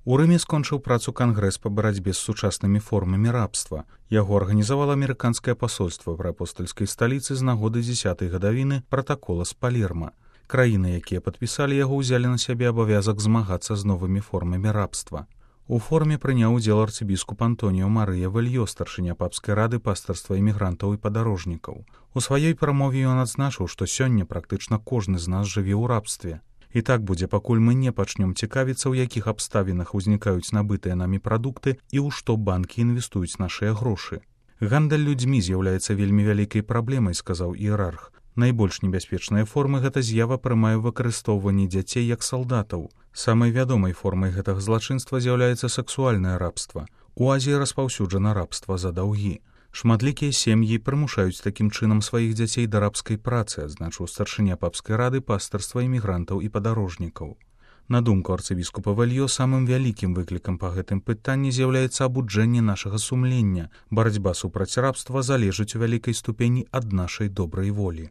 У Рыме скончыў працу кангрэс па барацьбе з сучаснымі формамі рабства. Яго арганізавала амерыканскае пасольства пры апостальскай сталіцы з нагоды 10-й гадавіны пратакола з Палерма. Краіны, якія падпісалі яго, узялі на сябе абавязак змагацца з новымі формамі рабства. У форуме прыняў удзел арцыбіскуп Антоніо Марыя Вельё, старшыня папскай рады пастырства імігрантаў і падарожнікаў. У сваёй прамове ён адзначыў, што сёння практычна кожны з нас жыве ў рабстве. І так будзе, пакуль мы не пачнём цікавіцца, у якіх абставінах узнікаюць набытыя намі прадукты і ў што банкі інвестуюць нашыя грошы. Гандаль людзьмі з'яўляецца вельмі вялікай праблемай, сказаў іерарх. Найбольш небяспечныя формы гэта з'ява прымае выкарыстоўванне дзяцей як салдатаў. Самай вядомай формай гэтага злачынства з'яўляецца сексуальнае рабства. У Азіі распаўсюджана рабства за даўгі. Шматлікія сем'і прымушаюць такім чынам сваіх дзяцей да рабскай працы, адзначыў старшыня папскай рады пастырства імігрантаў і падарожнікаў. На думку арцыбіскупа Вельё, самым вялікім выклікам па гэтым пытанні з'яўляецца абуджэнне нашага сумлення. Барацьба супраць рабства залежыць у вялікай ступені ад нашай добрай волі.